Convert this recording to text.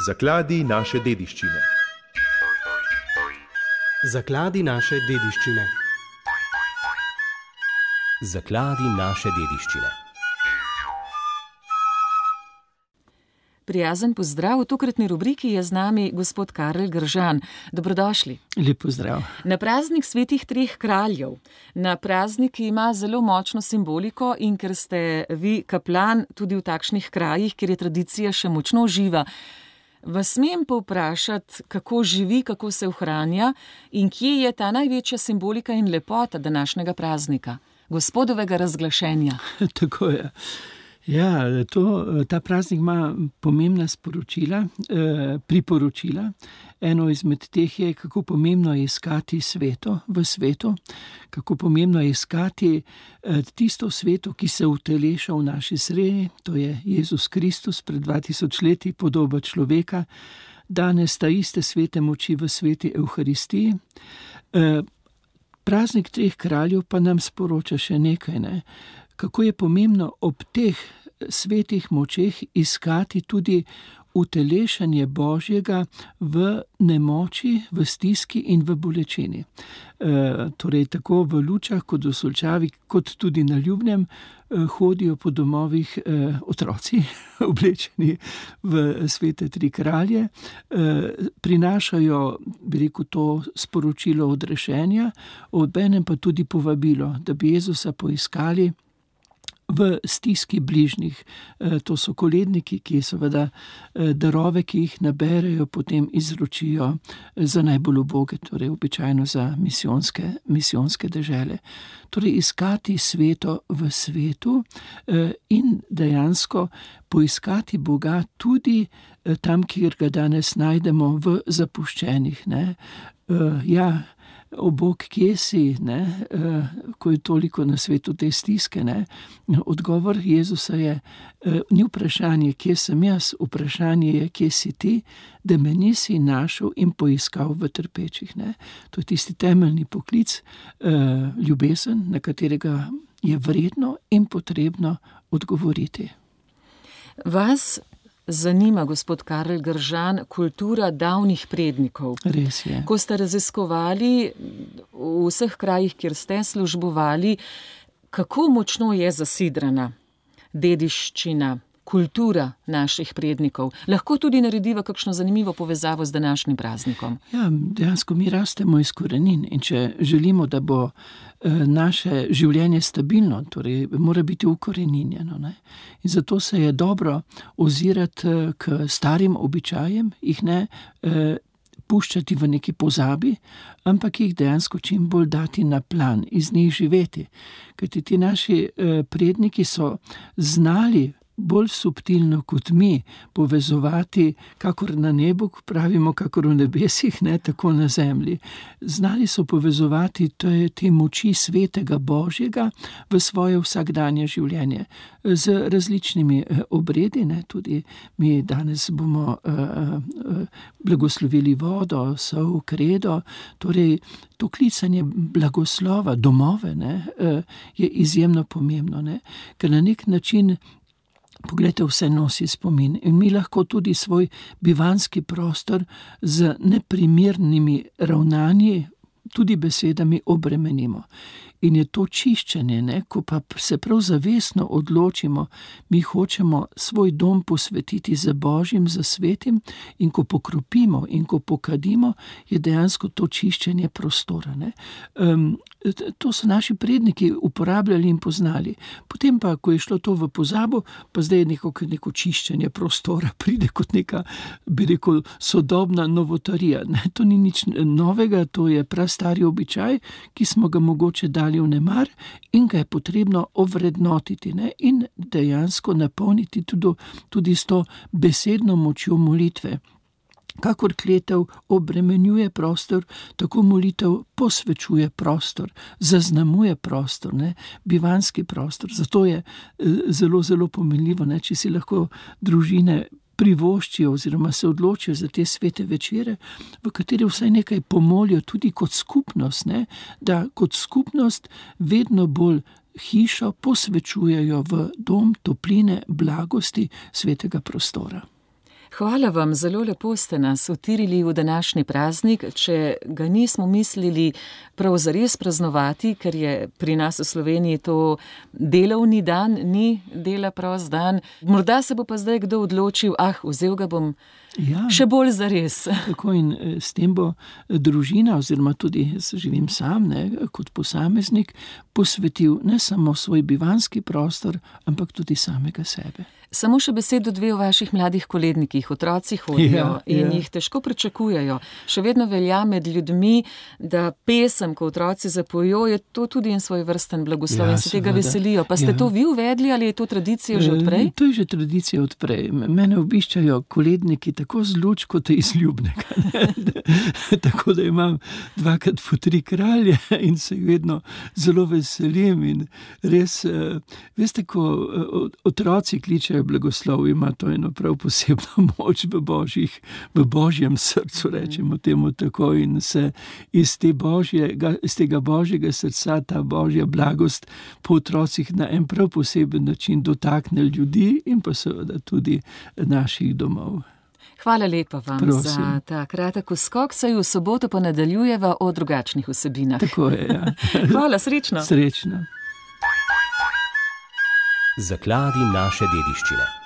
Zakladi naše dediščine. Zakladi naše dediščine. Zakladi naše dediščine. Prijazen pozdrav. V tokratni rubriki je z nami gospod Karel Gržan. Dobrodošli. Lep pozdrav. Na praznik svetih treh kraljev. Na praznik, ki ima zelo močno simboliko in ker ste vi kaplan tudi v takšnih krajih, kjer je tradicija še močno živa, vas smem povprašati, kako živi, kako se ohranja in kje je ta največja simbolika in lepota današnjega praznika, gospodovega razglašenja. Tako je. Ja, ta praznik ima pomembna sporočila, priporočila. Eno izmed teh je, kako pomembno je iskati sveto v svetu, kako pomembno je iskati tisto sveto, ki se uteleša v naši sredi, to je Jezus Kristus pred 2000 leti, podoba človeka, danes ta iste svete moči v sveti Evharistiji. Praznik treh kraljev pa nam sporoča še nekaj, ne? Kako je pomembno ob teh svetih močeh iskati tudi utelešanje Božjega v nemoči, v stiski in v bolečini. Torej tako v Lučah kot v Solčavi, kot tudi na Ljubnem hodijo po domovih otroci, oblečeni v svete tri kralje, prinašajo, bi rekel, to sporočilo odrešenja, obenem pa tudi povabilo, da bi Jezusa poiskali v stiski bližnjih. To so koledniki, ki seveda darove, ki jih naberejo, potem izročijo za najbolj uboge, torej običajno za misijonske dežele. Torej iskati sveto v svetu in dejansko poiskati Boga tudi tam, kjer ga danes najdemo v zapuščenih. Ja, o Bog, kje si, ko je toliko na svetu te stiske. Odgovor Jezusa je, ni vprašanje, kje sem jaz, vprašanje je, kje si ti, da me nisi našel in poiskal v trpečih. To je tisti temeljni poklic, ljubezen, na katerega je vredno in potrebno odgovoriti. Vas zanima, gospod Karel Gržan, kultura davnih prednikov. Res je. Ko ste raziskovali v vseh krajih, kjer ste službovali, kako močno je zasidrana dediščina, kultura naših prednikov? Lahko tudi narediva kakšno zanimivo povezavo z današnjim praznikom? Ja, dejansko mi rastemo iz korenin in če želimo, da bo naše življenje stabilno, torej mora biti ukoreninjeno. In zato se je dobro ozirati k starim običajem, jih ne puščati v neki pozabi, ampak jih dejansko čim bolj dati na plan, iz njih živeti. Kajti ti naši predniki so znali bolj subtilno kot mi povezovati, kakor na nebu, pravimo, kakor v nebesih, tako na zemlji. Znali so povezovati te moči svetega Božjega v svoje vsakdanje življenje z različnimi obredi. Tudi mi danes bomo blagoslovili vodo, sol, kredo, torej to klicanje blagoslova, domove, je izjemno pomembno, ker na nek način poglejte, vse nosi spomin in mi lahko tudi svoj bivanski prostor z neprimernimi ravnanji, tudi besedami obremenimo. In je to čiščenje, ko pa se prav zavestno odločimo, mi hočemo svoj dom posvetiti za Božjim, za svetim, in ko pokropimo in ko pokadimo, je dejansko to čiščenje prostora. To so naši predniki uporabljali in poznali. Potem pa, ko je šlo to v pozabo, pa zdaj je neko čiščenje prostora, pride kot neka, bi rekel, sodobna novotarija. To ni nič novega, to je prastari običaj, ki smo ga mogoče dali v nemar in ga je potrebno ovrednotiti in dejansko napolniti tudi s to besedno močjo molitve. Kakor kletev obremenjuje prostor, tako molitev posvečuje prostor, zaznamuje prostor, bivanski prostor. Zato je zelo, zelo pomenljivo, če si lahko družine privoščijo oziroma se odločijo za te svete večere, v kateri vsaj nekaj pomolijo tudi kot skupnost, da kot skupnost vedno bolj hišo posvečujejo v dom topline, blagosti, svetega prostora. Hvala vam, zelo lepo ste nas utirili v današnji praznik. Če ga nismo mislili prav zares praznovati, ker je pri nas v Sloveniji to delovni dan, ni dela prost dan. Morda se bo pa zdaj kdo odločil, vzel ga bom še bolj zares. Tako in s tem bo družina, oziroma tudi jaz živim sam, kot posameznik, posvetil ne samo svoj bivanski prostor, ampak tudi samega sebe. Samo še besedo dve o vaših mladih kolednikih. Otroci hodijo in jih težko pričakujejo. Še vedno velja med ljudmi, da pesem, ko otroci zapojo, je to tudi en svoj vrsten blagoslov in se tega veselijo. Pa ste to vi uvedli ali je to tradicija že odprej? To je že tradicija odprej. Mene obiščajo koledniki tako z luč kot iz Ljubnega. Tako da imam 2x po 3 kralje in se vedno zelo veselim in res, veste, ko otroci kličejo blagoslov, ima to eno prav posebno moč v božjem srcu, rečemo temu tako, in se iz tega božjega srca ta božja blagost po otrocih na en prav poseben način dotakne ljudi in pa seveda tudi naših domov. Hvala lepa vam za ta kratek skok, saj v soboto pa nadaljujeva o drugačnih vsebinah. Tako je, ja. Hvala, srečno. Srečno. Zakladi naše dediščine.